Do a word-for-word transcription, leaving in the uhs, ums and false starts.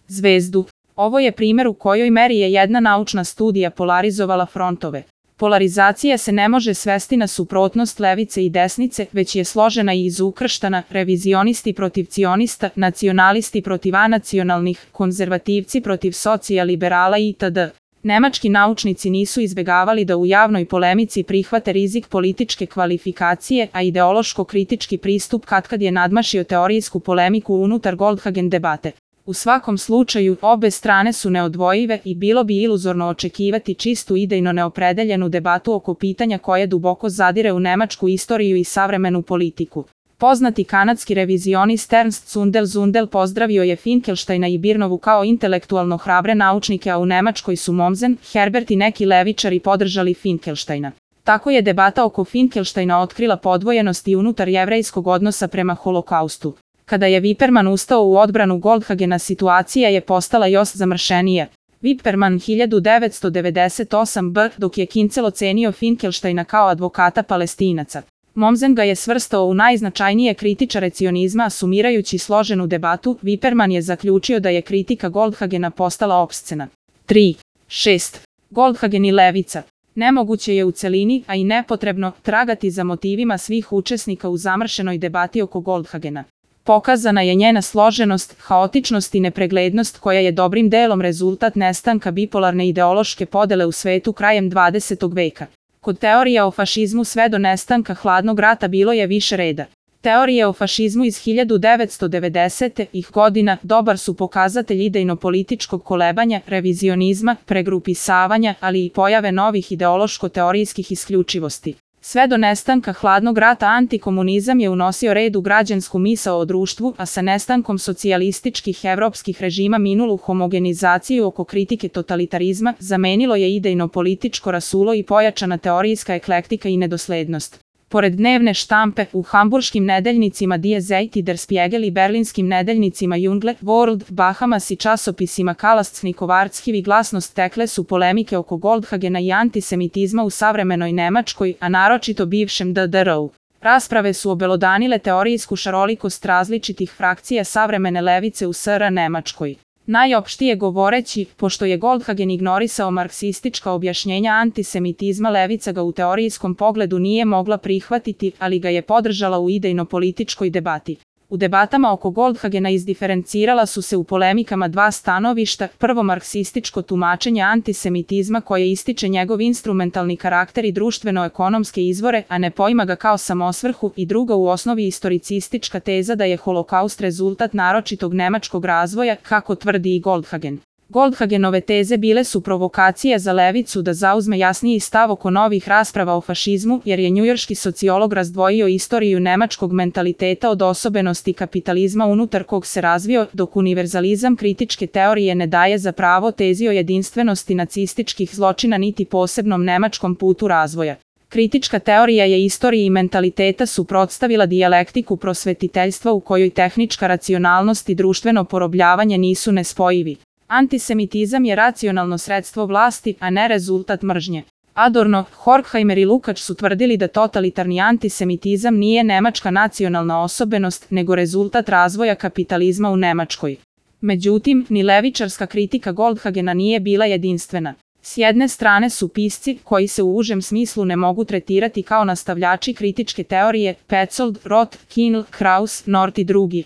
zvezdu. Ovo je primjer u kojoj meri je jedna naučna studija polarizovala frontove. Polarizacija se ne može svesti na suprotnost levice i desnice, već je složena i izukrštana, revizionisti protiv cionista, nacionalisti protiv anacionalnih, konzervativci protiv socijaliberala itd. Nemački naučnici nisu izbegavali da u javnoj polemici prihvate rizik političke kvalifikacije, a ideološko-kritički pristup katkad je nadmašio teorijsku polemiku unutar Goldhagen debate. U svakom slučaju, obe strane su neodvojive i bilo bi iluzorno očekivati čistu idejno neopredeljenu debatu oko pitanja koje duboko zadire u nemačku istoriju i savremenu politiku. Poznati kanadski revizionist Ernst Zundel Zundel pozdravio je Finkelsteina i Birnovu kao intelektualno hrabre naučnike, a u Nemačkoj su Mommsen, Herbert i neki levičari podržali Finkelsteina. Tako je debata oko Finkelsteina otkrila podvojenost i unutar jevrejskog odnosa prema holokaustu. Kada je Wippermann ustao u odbranu Goldhagena, situacija je postala još zamršenija. Wippermann hiljadu devetsto devedeset osam b, dok je Kincel ocenio Finkelsteina kao advokata Palestinaca. Mommsen ga je svrstao u najznačajnije kritičare cionizma, a sumirajući složenu debatu, Wippermann je zaključio da je kritika Goldhagena postala opscena. tri. šest. Goldhagen i levica. Nemoguće je u celini, a i nepotrebno, tragati za motivima svih učesnika u zamršenoj debati oko Goldhagena. Pokazana je njena složenost, haotičnost i nepreglednost koja je dobrim delom rezultat nestanka bipolarne ideološke podele u svetu krajem dvadesetog veka. Kod teorija o fašizmu sve do nestanka hladnog rata bilo je više reda. Teorije o fašizmu iz hiljadu devetsto devedesetih godina dobar su pokazatelj idejno-političkog kolebanja, revizionizma, pregrupisavanja, ali i pojave novih ideološko-teorijskih isključivosti. Sve do nestanka hladnog rata antikomunizam je unosio red u građansku misao o društvu, a sa nestankom socijalističkih evropskih režima minulu homogenizaciju oko kritike totalitarizma zamenilo je idejno-političko rasulo i pojačana teorijska eklektika i nedoslednost. Pored dnevne štampe, u hamburškim nedeljnicima Die Zeit i Der Spiegel i berlinskim nedeljnicima Jungle, World, Bahamas i časopisima Kalastnikov Archiv glasnost tekle su polemike oko Goldhagena i antisemitizma u savremenoj Nemačkoj, a naročito bivšem D D R-u. Rasprave su obelodanile teorijsku šarolikost različitih frakcija savremene levice u S R Nemačkoj. Najopštije govoreći, pošto je Goldhagen ignorisao marksistička objašnjenja antisemitizma, levica ga u teorijskom pogledu nije mogla prihvatiti, ali ga je podržala u idejno-političkoj debati. U debatama oko Goldhagena izdiferencirala su se u polemikama dva stanovišta, prvo marksističko tumačenje antisemitizma koje ističe njegov instrumentalni karakter i društveno-ekonomske izvore, a ne poima ga kao samosvrhu, i drugo u osnovi istoricistička teza da je holokaust rezultat naročitog nemačkog razvoja, kako tvrdi i Goldhagen. Goldhagenove teze bile su provokacija za levicu da zauzme jasniji stav oko novih rasprava o fašizmu, jer je njujorški sociolog razdvojio istoriju nemačkog mentaliteta od osobenosti kapitalizma unutar kog se razvio, dok univerzalizam kritičke teorije ne daje za pravo tezi o jedinstvenosti nacističkih zločina niti posebnom nemačkom putu razvoja. Kritička teorija je istoriji i mentaliteta suprotstavila dijalektiku prosvetiteljstva u kojoj tehnička racionalnost i društveno porobljavanje nisu nespojivi. Antisemitizam je racionalno sredstvo vlasti, a ne rezultat mržnje. Adorno, Horkheimer i Lukács su tvrdili da totalitarni antisemitizam nije nemačka nacionalna osobenost, nego rezultat razvoja kapitalizma u Nemačkoj. Međutim, ni levičarska kritika Goldhagena nije bila jedinstvena. S jedne strane su pisci, koji se u užem smislu ne mogu tretirati kao nastavljači kritičke teorije, Petzold, Roth, Kienl, Kraus, North i drugi.